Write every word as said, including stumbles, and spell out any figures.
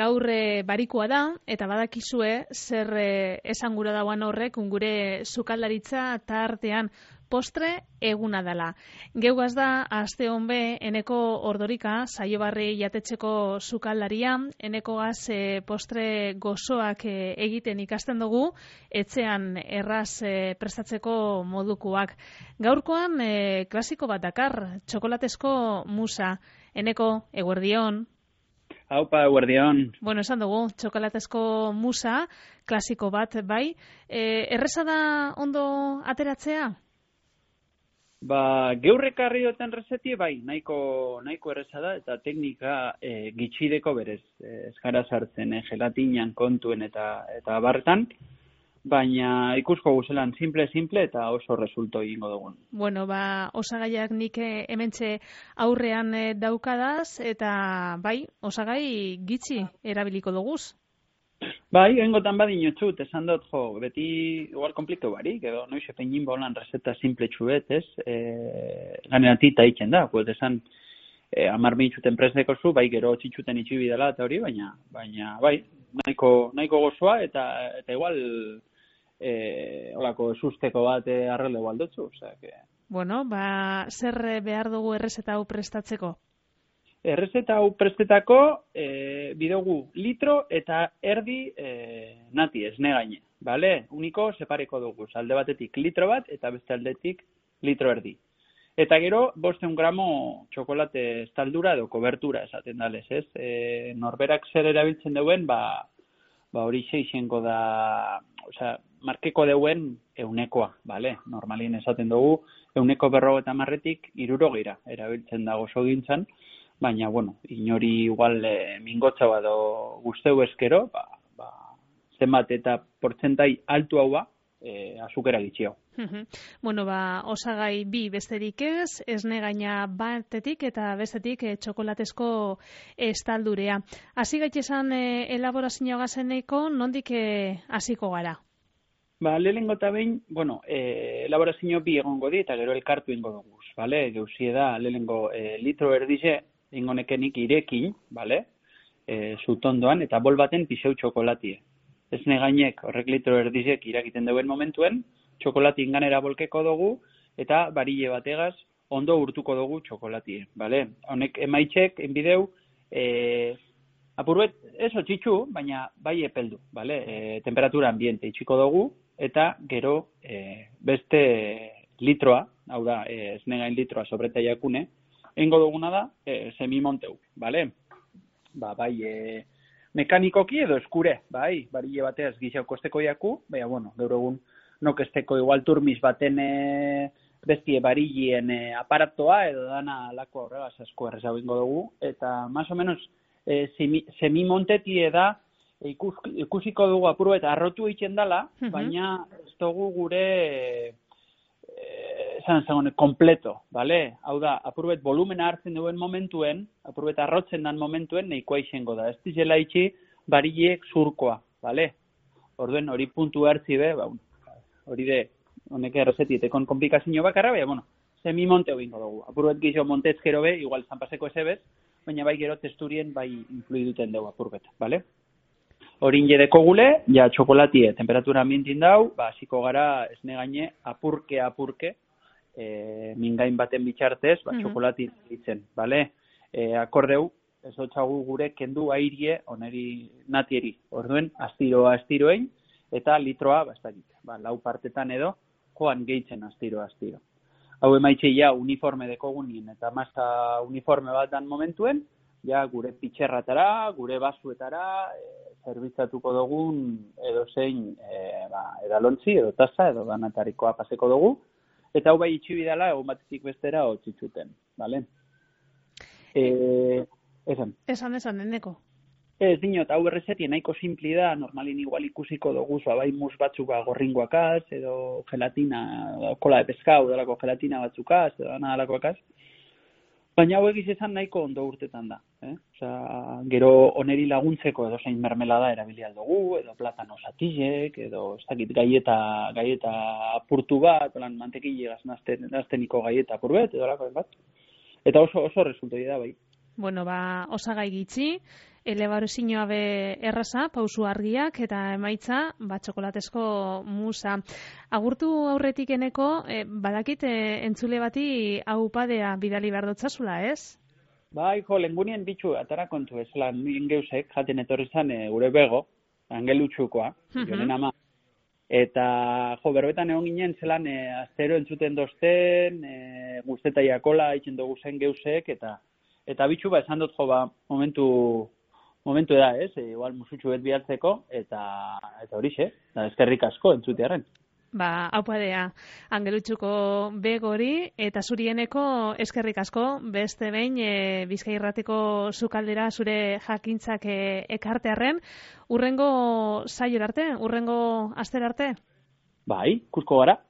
gaur e, barikoa da, eta badakizue zer e, esan gura dauan horrek ungure sukaldaritza tartean postre eguna dela. Geugaz da, aste honbe, eneko ordorika, saiobarri jatetxeko sukaldaria, eneko gaz e, postre gozoak e, egiten ikasten dugu, etxean erraz e, prestatzeko modukoak. Gaurkoan, e, klasiko bat dakar, txokolatezko musa. Eneko, eguerdion. Haupa, eguerdion. Bueno, esan dugu, txokolatezko musa, klasiko bat, bai. E, erreza da ondo ateratzea? Ba, geurrekarri duten rezeti, bai, nahiko, nahiko erreza da, eta teknika e, gitxideko berez. E, ez gara sartzen, e, gelatinan kontuen eta eta barretan, baina ikusko guzelan simple-simple eta oso resulto egingo dugun. Bueno, ba, osagaiak nik hementxe aurrean daukadaz, eta bai, osagai gitxi erabiliko duguz. Bai, engotan badin txut, esan dut, jo, beti igual komplikatu barik, edo noiz epein bolan reseta simple txuet, ez? E, ganeratita itzen da, pues esan e, amar mintzuten presdeko zu, bai gero txitxuten itxibi dela eta hori, baina, baina bai, nahiko, nahiko gozoa, eta, eta igual e, olako susteko bat e, arrelde baldotzu, osea, que... Bueno, ba, zer behar dugu errezeta hau prestatzeko? Errezeta hau prestetako e, bidogu litro eta erdi e, nati, esne gaine, bale? Uniko separeko dugu, alde batetik litro bat eta beste aldetik litro erdi. Eta gero, bosteun gramo txokolate estaldura edo kobertura esaten dalez, ez? E, norberak zer erabiltzen duen, ba, ba hori seixenko da, osea, markeko deuen eunekoa, bale? Normalin esaten dugu, euneko berro eta marretik irurogeira erabiltzen da gozo gintzan, baina, bueno, inori igual e, mingotza bado guzteu eskero, ba, ba, zenbat eta portzentai altu hau ba, e, azukera gitxio. Bueno, ba, osagai bi besterik ez, esne gaina batetik eta bestetik e, txokolatezko estaldurea. Hasi gaitesan e, elaborazio gazeneko, nondik hasiko gara? Ba, lehenengo eta behin, bueno, e, elaborazio bi egongo di eta gero elkartu ingo dugu, bale? Geuzie da, lehenengo e, litro erdize, ingonekenik irekin, bale? E, zutondoan, eta bol baten pixeu txokolatie. Esne gainek horrek litro erdizek irakiten duen momentuen, txokolati inganera bolkeko dugu, eta barile bategaz ondo urtuko dugu txokolatie, bale? Honek emaitzek, enbideu, e, apurbet, ez otxitxu, baina bai epeldu, bale? E, temperatura ambiente itxiko dugu, eta gero e, beste litroa, hau da, e, esne gain litroa sobreta jakune, Eingo duguna da, e, semimonteu, bale? Ba, bai, e, mekanikoki edo eskure, bai, barile bateaz gixau kosteko jaku, baina, bueno, gaur egun nokesteko igual turmis baten e, bestie barilien e, aparatoa edo dana lako horregaz asko errezau ingo dugu, eta más o menos e, semimontetie da e, ikus, ikusiko dugu apuru eta arrotu egiten dela, uh-huh. Baina ez dugu gure... esan zagoen, kompleto, bale? Hau da, apurbet volumena hartzen duen momentuen, apurbet arrotzen dan momentuen, nahikoa izango da. Ez dizela itxi, barileek zurkoa, bale? Orduen, hori puntu hartzi be, ba, hori de, honek errezetitekon komplikazio bakarra, baina, bueno, semi-monteo bingo dugu. Apurbet gixo montez gero be, igual zanpaseko ezebez, baina bai gero testurien bai influiduten dugu apurbet, bale? Horin jedeko gule, ja txokolatie temperatura ambientin dau, ba, hasiko gara esne gaine apurke-apurke, e, mingain baten bitxartez, ba, mm-hmm. Txokolati ditzen, bale? E, akordeu, ez dutxagu gure kendu airie, oneri natieri, orduen, astiro-astiroein, eta litroa, ba, ez dakit, ba, lau partetan edo, joan gehitzen astiro-astiro. Hau emaitxe ja uniforme dekogunien, eta masa uniforme bat dan momentuen, ja gure pitxerratara, gure basuetara, e, zerbitzatuko dugun edo zein e, ba, edalontzi, edo taza, edo danatarikoa paseko dugu, eta hau bai itxibidala, egun batetik bestera, otzitzuten, bale? E, esan. Esan, esan, eneko. Ez dinot, hau errezetien nahiko simpli da, normalin igual ikusiko dugu, zoa bai mus batzuka gorringoakaz, edo gelatina, kola de pescau, delako gelatina batzukaz, edo dana dalakoakaz. Baina hau egiz esan nahiko ondo urtetan da. Eh? Osea, gero oneri laguntzeko edo zein mermelada erabili aldugu, edo platano satillek, edo ez dakit gaieta, gaieta apurtu bat, olan mantekile gaznazteniko gaieta apurbet, edo lako bat. Eta oso, oso resultoi da bai. Bueno, ba, osagai gitxi, elebarozinioa be erraza, pausu argiak, eta emaitza, ba, txokolatezko musa. Agurtu aurretik eneko, e, badakit e, entzule bati hau padea bidali behar dotzazula, ez? Bai, jo, lengunien bitxu, atara kontu ez, lan ingeusek, jaten etorri zan, e, gure bego, angelutxukoa, uh-huh. jonen ama. Eta, jo, berbetan egon ginen zelan, e, astero entzuten dozten, e, guzteta jakola, itxen dugu zen geusek, eta eta bitxu, ba, esan dut, jo, ba, momentu, momentu da, ez, e, igual musutxu bet bihartzeko, eta, eta horixe, da, eskerrik asko entzutearen. Ba, hau padea, angelutxuko begori, eta zurieneko eskerrik asko, beste behin, e, Bizkai Irratiko sukaldera zure jakintzak e, ekartearren, urrengo saior arte, urrengo aster arte? Bai, kusko gara.